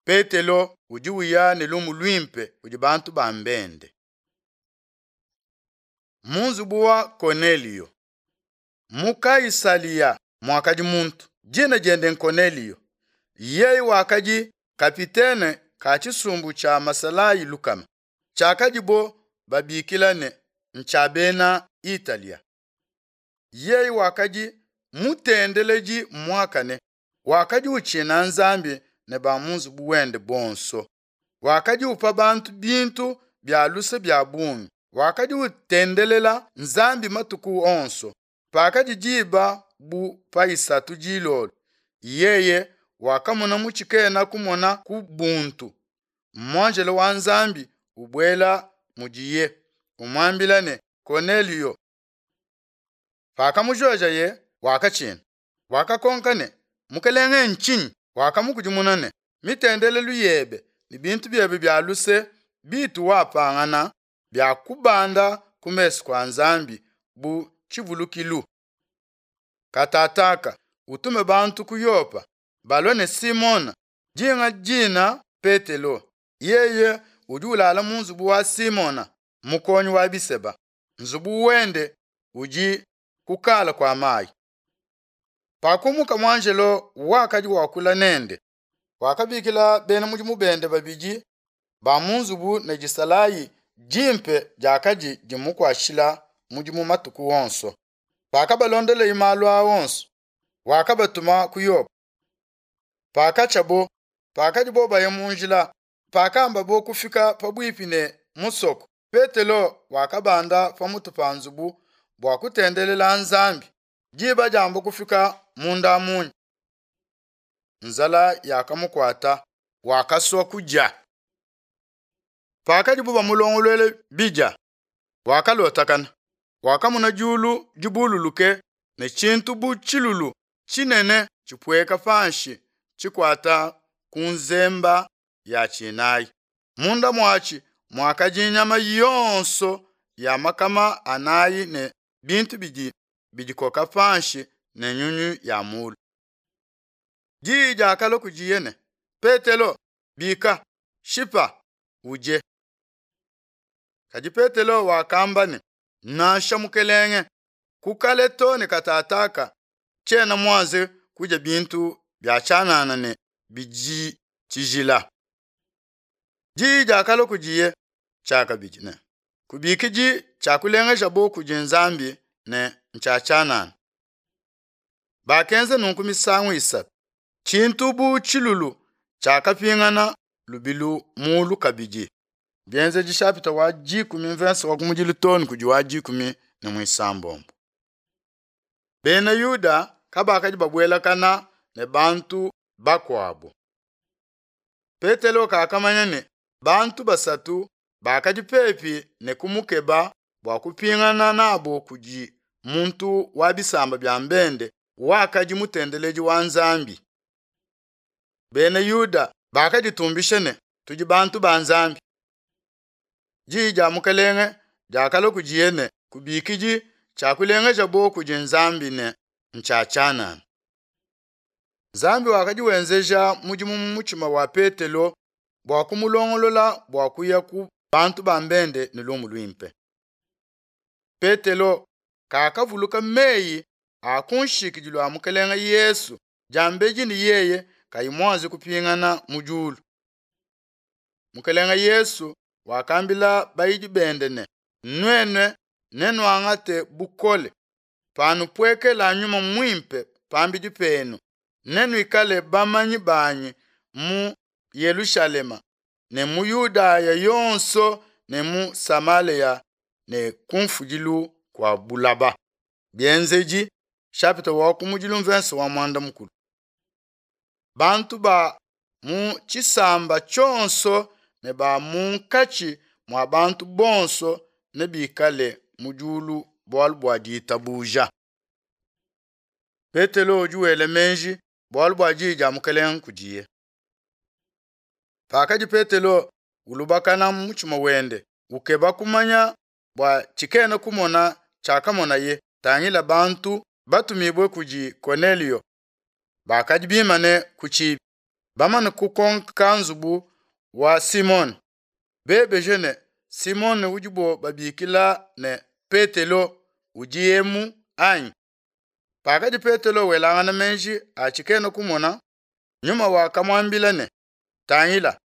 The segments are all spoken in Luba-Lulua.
Petelo udi uya ne lumu luimpe kudi bantu ba bende. Mu nzubu wa Konelio. Mu Kaisalia muakadi muntu, dina diende n'Konelio. Yeye wakadi kapitene ka tshisumbu tshia masalayi lukama, tshiakadibo babikila ne, ntshia bena Italia. Yeye wakadi mutendeledi muakane, wakadi utshina Nzambi ne ba mu nzubu wende bonso. Wakadi upa bantu bintu bia luse bia bungi, wakadi utendelela Nzambi matuku onso. Pakadi diba bu pa isatu dilolo, yeye wakamona mu tshikena kumona ku buntu muanjelo wa Nzambi ubuela mudiye, umuambila ne, Konelio. Pakamujojaye, wakatshina. Wakakonka ne, Mukelenge ntshinyi? Wakamukudimuna ne, Mitendelelu yebe ne bintu biebe bia luse bitu wapangana biakubanda ku mesu kua Nzambi bu tshivulukilu. Katataka utume bantu ku Yopa balue ne Simona dinga dina Petelo. Yeye udi ulala mu nzubu wa Simona mukonyi wa biseba. Nzubu wende udi kukala kua mayi. Pakumuka muanjelo wakadi wakula nende, wakabikila bena mudimu bende babidi ba mu nzubu ne disalayi dimpe diakadi dimukuatshila mudimu matuku onso. Pakabalondeleye malu aa onso, wakabatuma ku Yopa. Pakatshiabo, pakadibo baya mu njila, pakambabo kufika pabuipi ne musoko, Petelo wakabanda pamutu pa nzubu bua kutendelela Nzambi. Diba diamba kufika munda munya, nzala yakamukuata, wakasua kudia. Pakadibo bamulongoluela bidia, wakalotakana, wakamona diulu dibululuke ne tshintu bu tshilulu tshinene tshipueka panshi tshikuata ku nzemba ya tshinayi. Munda muatshi muakadi nyama yonso ya makama anayi ne bintu bidi bidikoka panshi ne nyunyu ya mulu. Diyi diakalua kudiye ne, Petelo, bika, shipa, udie. Kadi Petelo wakamba ne, Nansha Mukelenge, ku kale too ne katataka tshiena muanze kudia bintu bia tshianana ne bidi tshijila. Diyi diakalua kudiye tshiakabidi ne, Kubikidi tshiakulengejabo kudi Nzambi ne ntshia tshianana. Bakenza nunku misangu isatu. Tshintu bu tshilulu tshiakapingana lubilu mulu kabidi. Bienzedi shapita wa dikumi mvensa wa kumudilu too ne kudi wa dikumi ne muisambombo. Bena Yuda kabakadi babuelakana ne bantu bakuabo. Petelo kakamanya ne bantu basatu bakadi pepi ne kumukeba bua kupingana nabo kudi muntu wa bisamba bia mbende wakadi mutendeledi wa Nzambi. Bena Yuda bakaditumbisha ne, tudi bantu ba Nzambi. Diyi dia Mukelenge diakalua kudiye ne, kubikidi tshiakulengejabo kudi Nzambi ne ntshia tshianana. Nzambi wakadi wenzeja mudimu mu mutshima wa Petelo bua kumulongolola bua kuya ku bantu ba mbende ne lumu luimpe. Petelo kakavuluka meyi a ku nshikidilu a Mukelenge Yesu diambedi ne yeye kayi muanze kupingana mu diulu. Mukelenge Yesu wakambila bayidi bende ne, Nuenu nenuangate bukole panupuekela Nyuma Muimpe pambidi penu, nenuikale bamanyi banyi mu Yelushalema ne mu Yudaya yonso ne mu Samalea ne ku mfudilu kua bulaba. Bienzedi chapitre wa kumudilu mvense wa muanda mukulu. Bantu ba mu tshisamba tshionso ne ba munkatshi mua bantu bonso nebikale mu diulu bualu bua ditabuja. Petelo udi wela meji bualu bua diyi dia Mukelenge kudiye. Pakadi Petelo ulubakana mu mutshima wende ukeba kumanya bua tshikena kumona tshiakamonaye, tangila bantu batumibue kudi Konelio bakadi bimane ku tshibi. Bamane kukonka nzubu wa Simone, bebeje ne, Simone udibo babikila ne, Petelo, udi emu anyi? Pakadi Petelo welangana meji a tshikena kumona, Nyuma wakamuambila ne, Tangila,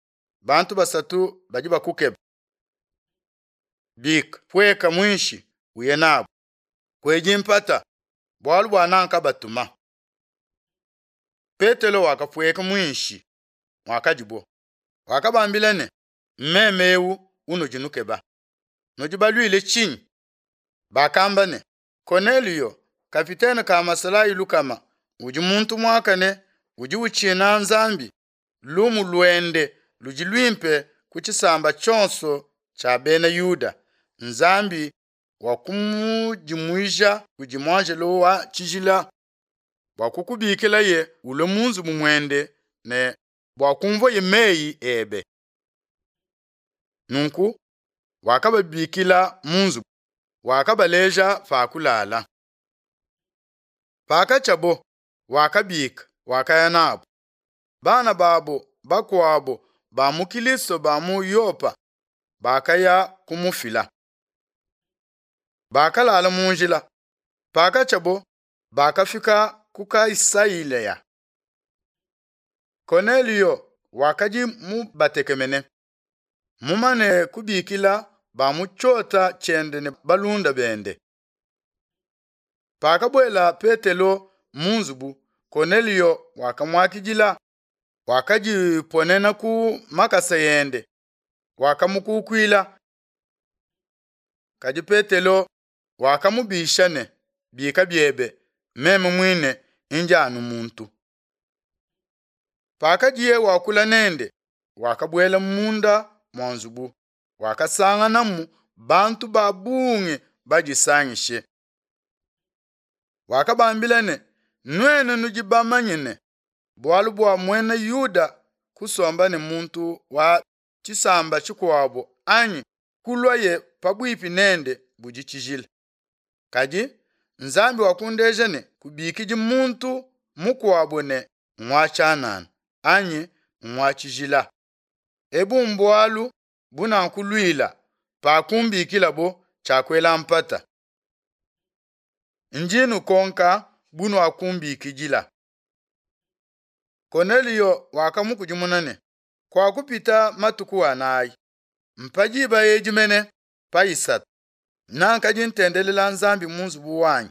bantu basatu badi bakukeba. Bika, pueka muinshi, uye nabu. Kuedi mpata, bualu bua nankabatuma. Petelo wakapueka muinshi muakadibo, wakabambila ne, Mmeme eu unudi nukeba. Nudi baluile tshinyi? Bakamba ne, Koneliyo, kapitene ka masalayi lukama, udi muntu muakane, udi utshina Nzambi, lumu luende ludi luimpe ku tshisamba tshionso tshia bena Yuda, Nzambi wakumudimuija kudi muanjelo wa tshijila bua kukubikilaye ulue mu nzubu muende ne bua kumvuaye meyi ebe. Nunku wakababikila mu nzubu, wakabaleja pa kulala. Pakatshiabo, wakabika, wakaya nabu. Bana babo bakuabo ba mu Kilisto ba mu Yopa bakaya kumufila. Bakalala mu njila. Pakatshiabo, bakafika ku Kaisailea. Konelio wakadi mubatekemene, mumane kubikila ba mu tshiota tshiende ne balunda bende. Pakabuela Petelo mu nzubu, Konelio wakamuakidila, wakadiponena ku makasa ende, wakamukukuila. Kadi Petelo wakamubisha ne, Bika biebe, meme muine ndi anu muntu. Pakadiye wakula nende, wakabuela munda mua nzubu, wakasanganamu bantu ba bungi badisangishe. Wakabambila ne, Nuenu nudi bamanye ne, bualu bua muena Yuda kusomba ne muntu wa tshisamba tshikuabo anyi kuluaye pabuipi nende budi tshijila. Kadi Nzambi wakundeja ne, kubikidi muntu mukuabo ne ngua tshianana anyi ngua tshijila. Ebu mbualu bunankuluila pakumbikilabo tshiakuela mpata. Ndi nukonka bunuakumbikidila. Konelio wakamukudimuna ne, Kuakupita matuku anayi, mpa diba edi mene pa isatu, nankadi ntendelela Nzambi mu nzubu wanyi.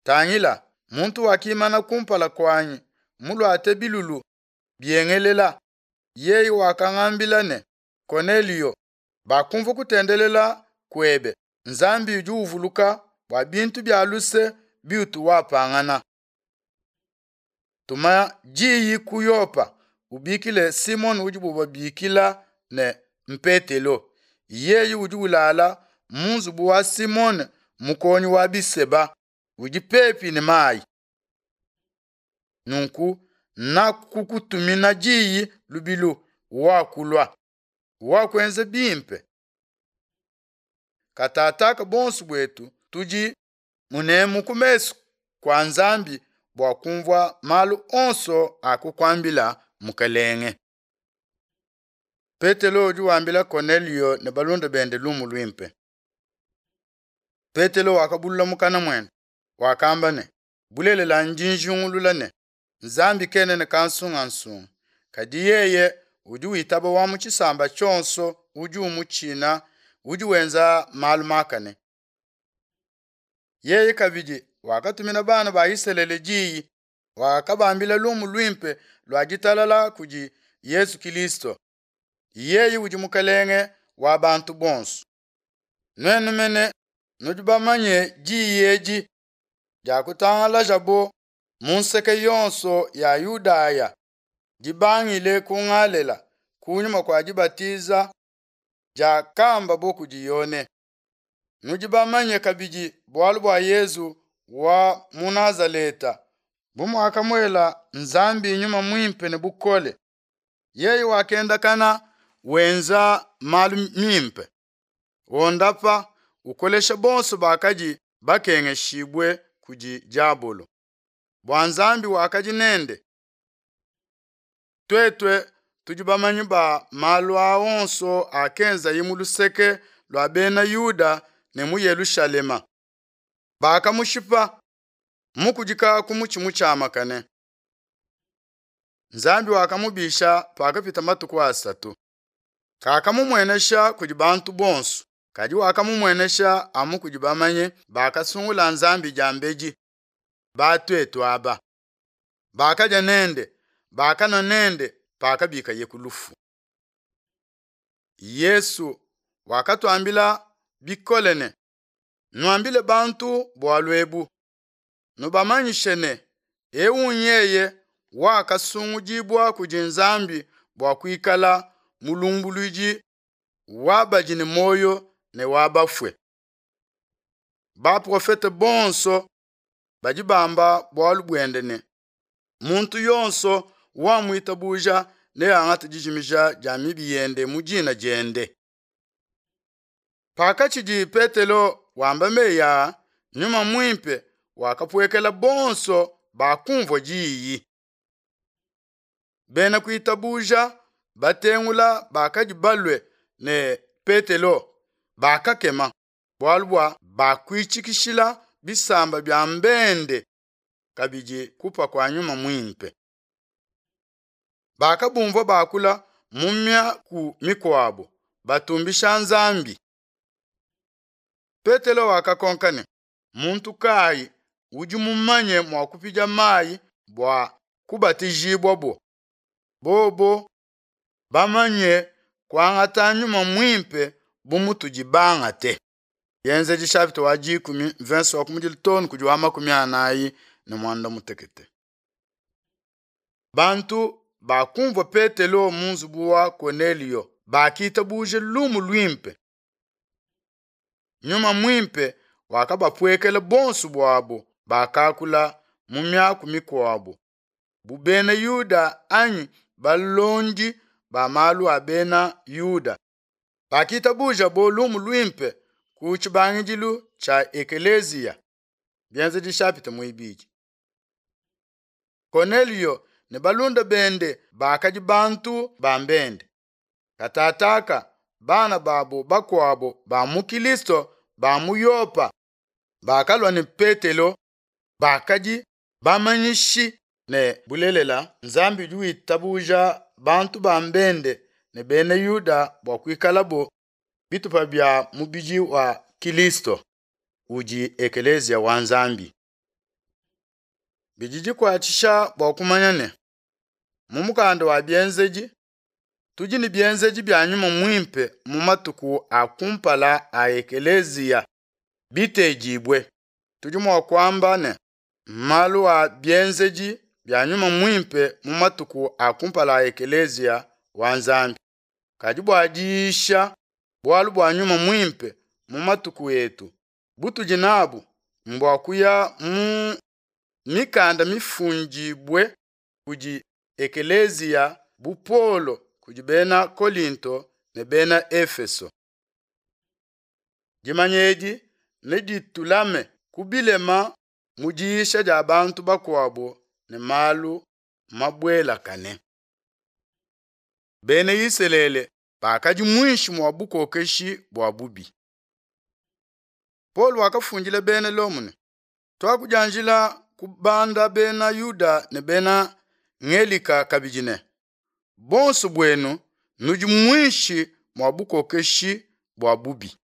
Tangila, muntu wakimana kumpala kuanyi muluate bilulu biengelela, yeye wakangambila ne, Konelio, bakumvua kutendelela kuebe, Nzambi udi uvuluka bua bintu bia luse biutu wapangana. Tuma diyi ku Yopa, ubikile Simone udibu babikila ne Mpetelo. Yeye udi ulala mu nzubu wa Simone mukonyi wa biseba udi pepi ne mayi. Nunku nakukutumina diyi lubilu, wakulua, wakuenza bimpe. Katataka bonso buetu tudi munemu ku mesu kua Nzambi bua kumvua malu onso akukuambila Mukelenge. Petelo udi wambila Konelio ne balunda bende lumu luimpe. Petelo wakabulula mukana muende, wakamba ne, Bulelela ndi njingulula ne, Nzambi kena ne kansungansunga, kadi yeye udi witaba wa mu tshisamba tshionso udi umutshina, udi wenza malu makane. Yeye kabidi wakatumina bana ba Isalele diyi, wakabambila lumu luimpe lua ditalala kudi Yesu Kilisto. Yeye udi Mukelenge wa bantu bonso. Nuenu mene nudi bamanye diyi edi diakutangalajabo mu nseke yonso ya Yudaya, dibangile ku Ngalela kunyima kua dibatiza diakambabo kudi Yone. Nudi bamanye kabidi bualu bua Yezu wa mu Nazaleta, bu muakamuela Nzambi Nyuma Muimpe ne bukole, yeye wakendakana wenza malu mimpe, wondapa, ukolesha bonso bakadi bakengeshibue kudi diabolo, bua Nzambi wakadi nende. Tuetu tudi bamanyi ba malu aa onso akenzaye mu luseke lua bena Yuda ne mu Yelushalema. Bakamushipa mukudika ku mutshi mutshiamakane. Nzambi wakamubisha pakapita matuku asatu. Kakamumuenesha kudi bantu bonso, kadi wakamumuenesha amu kudi bamanyi bakasungula Nzambi diambedi, batuetu aba. Bakadia nende, bakanua nende pakabikaye ku lufu. Yesu wakatuambila bikole ne, Nuambile bantu bualu ebu, nubamanyishe ne, eu nyeye wakasungudibua kudi Nzambi bua kuikala mulumbuluidi wa badi ne muoyo ne wa bafue. Baprofete bonso badi bamba bualu buende ne, muntu yonso wamuitabuja neangate dijimija dia mibi yende mu dina diende. Pakatshidi Petelo wamba meyi aa, Nyuma Muimpe wakapuekela bonso bakumvua diyi. Bena kuitabuja batengula bakadi balue ne Petelo bakakema, bualu bua bakuitshikishila bisamba bia mbende kabidi kupa kua Nyuma Muimpe. Bakabumvua bakula mu miaku mikuabo, batumbisha Nzambi. Petelo wakakonka ne, muntu kayi udi mumanye mua kupidia mayi bua kubatijibua bo? Bobo bamanye kuangata Nyuma Muimpe bu mutudi bangate. Bienzedi chapitre wa 10 verse wa kumudilu tonu kudi wa 48. Bantu bakumvua Petelo mu nzubu wa Kornelio bakitabuje lumu luimpe. Nyuma Muimpe wakabapuekela bonso buabo bakakula mu miaku mikuabo bu bena Yuda anyi balondi ba malu a bena Yuda. Bakitabuja bo lumu luimpe ku tshibangidilu tshia Ekeleziya. Bienzedi chapitre muibidi. Kornelio ne balunda bende bakadi bantu ba mbende. Katataka bana babo bakuabo ba mu Kristo ba mu Yopa bakalua ne Petelo bakadi bamanyishi ne bulelela Nzambi udi witabuja bantu ba mbende ne bena Yuda bua kuikalabo bitupa bia mubidi wa Kristo udi Ekeleziya wa Nzambi. Bidi dikuatshisha bua kumanya ne mu mukanda wa Bienzedi tudi ne bienzedi bia Nyuma Muimpe mu matuku a kumpala a Ekeleziya bitedibue. Tudi mua kuamba ne malu a bienzedi bia Nyuma Muimpe mu matuku a kumpala a Ekeleziya wa Nzambi. Kadi bua diyisha bualu bua Nyuma Muimpe mu matuku etu butudi nabu mbua kuya mu mikanda mifundibue kudi Ekeleziya bu Paulo kudi bena Kolinto ne bena Efeso. Dimanya edi neditulame ku bilema mu diyisha dia bantu bakuabo ne malu mabuelakane. Bena Isalele bakadi muinshi mua bukokeshi bua bubi. Paulo wakafundila bena Lomo ne, tuakudianjila kubanda bena Yuda ne bena Ngelika kabidi ne, bonso buenu nudi muinshi mua bukokeshi bua bubi.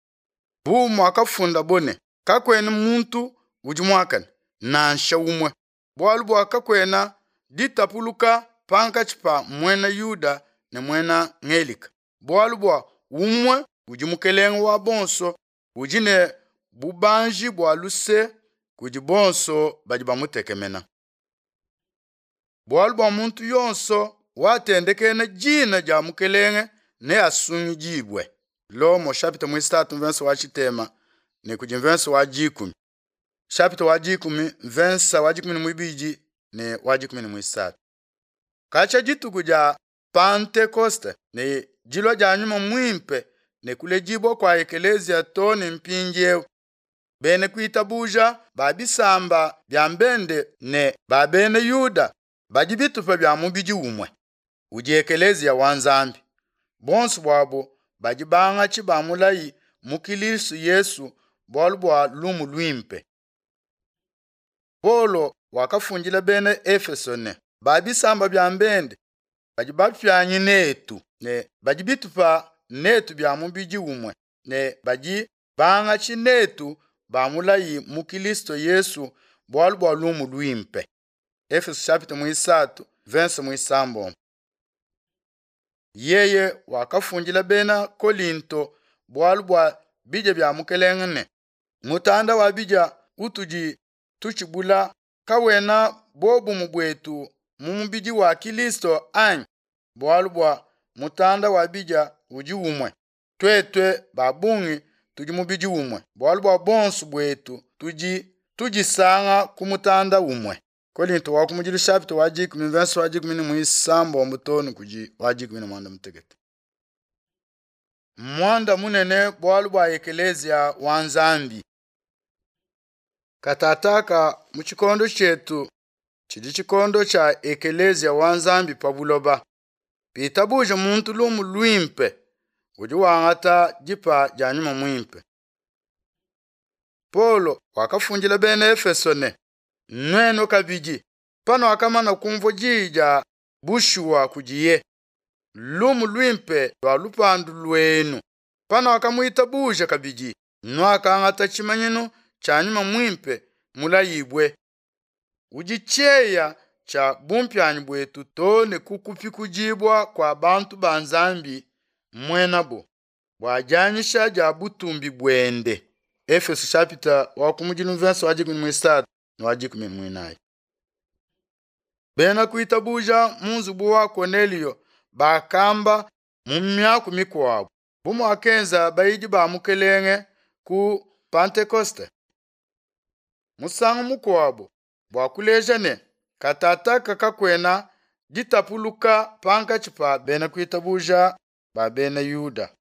Bu muakafundabo ne, kakuena muntu udi muakane, nansha umue, bualu bua kakuena ditapuluka pankatshi pa muena Yuda ne muena Ngelika, bualu bua umue udi mukelenge wa bonso, udi ne bubanji bua luse kudi bonso badi bamutekemena. Bualu bua muntu yonso watendekena dina dia mukelenge neasungidibue. Lomo chapitre 3 verse wa tshitema ne kudi verse wa 10. Chapitre wa 10 verse wa 12 ne wa 13. Katshia dituku dia Pentekoste ne dilua dia Nyuma Muimpe ne kuledibua kua Ekeleziya to ne mpindieu, bena kuitabuja ba bisamba bia mbende ne ba bena Yuda badi bitupa bia mubidi umue. udi ekeleziya wa Nzambi. Buonso buabo badi bangatshi ba mulayi mu Kilisto Yesu bualu bua lumu luimpe. Paulo wakafundila Bena Efeso ne, Ba bisamba bia bende badi bapianyi netu ne badi bitupa netu bia mubidi umue ne badi bangatshi netu ba mulayi mu Kilisto Yesu bualu bua lumu luimpe. Efeso chapitre muisatu verse muisambombo. Yeye wakafundila Bena Kolinto bualu bua bidia bia Mukelenge ne, mutanda wa bidia utudi tutshibula kawena bobumue buetu mu mubidi wa Kilisto anyi? Bualu bua mutanda wa bidia udi umue, tuetu ba bungi tudi mubidi umue, bualu bua bonso buetu tudi tudisanga ku mutanda umue. Kolinto wa kumudilu chapitre wa dikumi verse wa dikumi ne muisambombo too ne kudi wa dikumi ne muanda mutekete. Muanda munene bualu bua ekeleziya wa Nzambi. Katataka mu tshikondo tshietu tshidi tshikondo tshia ekeleziya wa Nzambi pa buloba. Pitabuja muntu lumu luimpe udi wangata dipa dia nyuma muimpe. Paulo wakafundila Bena Efeso ne, nuenu kabidi panuakamana kumvua diyi dia bushuwa kudiye, lumu luimpe lua lupandu luenu, panuakamuitabuja kabidi, nuakangata tshimanyinu tshia nyuma muimpe mulayibue, udi tshieya tshia bumpianyi buetu too ne ku kupikudibua kua bantu ba Nzambi muenabo, bua dianyisha dia butumbi buende. Efeso chapitre wa kumudilu verse wa dikumi muisatu ne wa dikumi muinayi. Bena kuitabuja mu nzubu wa Kornelio bakamba mu miaku mikuabu bu muakenza bayidi ba Mukelenge ku Pentekoste. Musangu mukuabu bua kuleja ne katataka kakuena ditapuluka pankatshi pa bena kuitabuja ba bena Yuda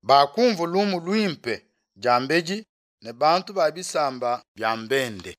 bakumvua lumu luimpe diambedi ne bantu ba bisamba bia bende.